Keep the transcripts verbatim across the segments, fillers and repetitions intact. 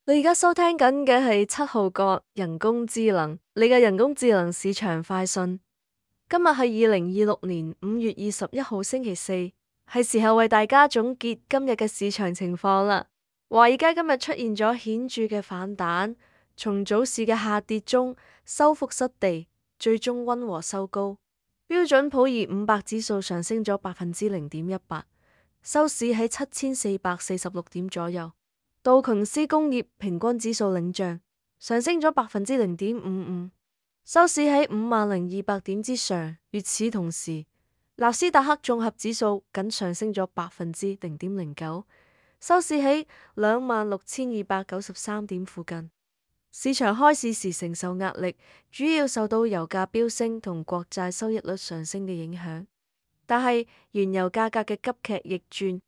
你而家收聽緊嘅係七號角人工智能，你嘅人工智能市場快訊。今日係二零二六年五月二十一號星期四，係時候為大家總結今日嘅市場情況啦。華爾街今日出現咗顯著嘅反彈，從早市嘅下跌中收復失地，最終溫和收高。標準普爾五百指數上升咗百分之零點一八，收市喺七千四百四十六點左右。道瓊斯工業平均指數領漲，上升咗百分之零點五五，收市喺五萬零二百點之上。與此同時，納斯達克綜合指數僅上升咗百分之零點零九，收市喺兩萬六千二百九十三點附近。市場開市時承受壓力，主要受到油價飆升同國債收益率上升嘅影響，但係原油價格嘅急劇逆轉，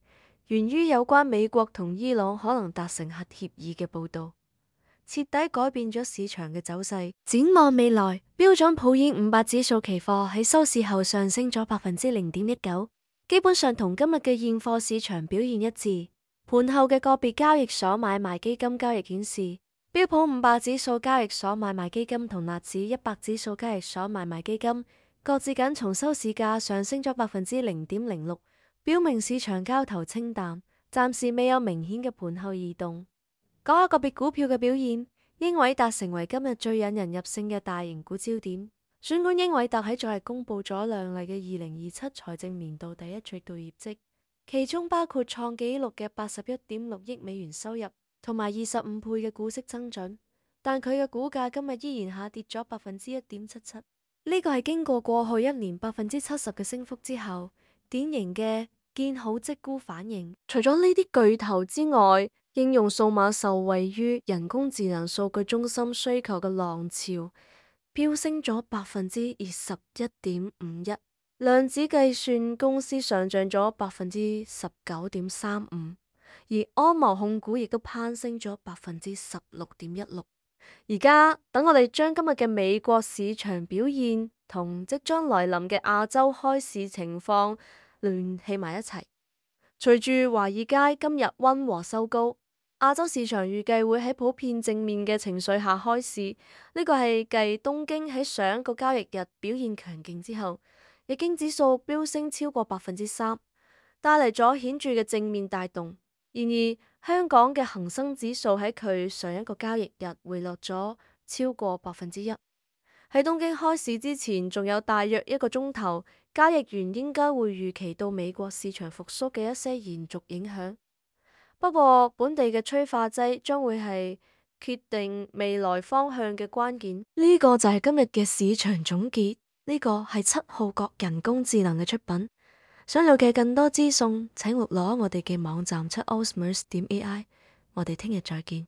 源於有關美國同伊朗可能達成核協議嘅報道，徹底改變咗市場嘅走勢。展望未來，標準普爾五百指數期貨喺收市後上升咗百分之零點一九，基本上同今日嘅現貨市場表現一致。盤後嘅個別交易所買賣基金交易顯示，標普五百指數交易所買賣基金同納指一百指數交易所買賣基金各自僅從收市價上升咗百分之零點零六。表明市場交投清淡，暫時未有明顯嘅盤後異動。講下個別股票嘅表現，英偉達成為今日最引人入勝嘅大型股焦點。儘管英偉達喺昨日公布咗亮麗嘅二零二七財政年度第一季度業績，其中包括創紀錄嘅八十一點六億美元收入同埋二十五倍嘅股息增長，但佢嘅股價今日依然下跌咗百分之一點七七。呢個係經過過去一年百分之七十嘅升幅之後，典型嘅見好即沽反應。除咗呢啲巨頭之外，應用數碼受惠於人工智能數據中心需求嘅浪潮，飆升咗百分之二十一點五一。量子計算公司上漲咗百分之十九點三五，而安謀控股亦都攀升咗百分之十六點一六。而家等我哋將今日嘅美國市場表現同即將來臨嘅亞洲開市情況聯繫埋一齊。隨住華爾街今日溫和收高，亞洲市場預計會喺普遍正面嘅情緒下開市。呢個係繼東京喺上一個交易日表現強勁之後，日經指數飆升超過百分之三，帶嚟咗顯著嘅正面帶動。然而，香港嘅恒生指數喺佢上一個交易日回落咗超過百分之一。喺東京開市之前，仲有大約一個鐘頭，交易員應該會預期到美國市場復甦嘅一些延續影響。不過，本地嘅催化劑將會係決定未來方向嘅關鍵。呢個就係今日嘅市場總結。呢個係七號角人工智能嘅出品。想了解更多資訊，請錄攞我哋嘅網站七 osmers 點 A I。我哋聽日再見。